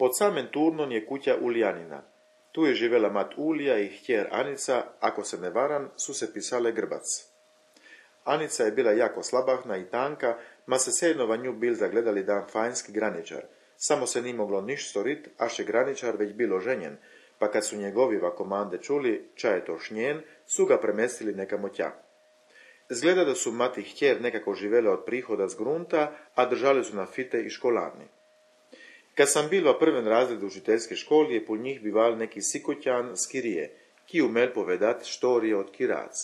Pod samem turnom je kuća Ulijanina. Tu je živjela mat Ulija i htjer Anica, ako se ne varam, su se pisale Grbac. Anica je bila jako slabahna i tanka, ma se sednova nju bil zagledali dan fajnski graničar. Samo se ni moglo niš storit, až je graničar već bilo ženjen, pa kad su njegovi komande čuli, ča je to šnjen, su ga premestili nekamo tja. Zgleda da su mati htjer nekako živele od prihoda z grunta, a držali su na fite i školarni. Kad sam bil v prvem razredu učiteljske školi, je po njih bival neki sikotjan z Kirije, ki umel povedat štorije od Kirac.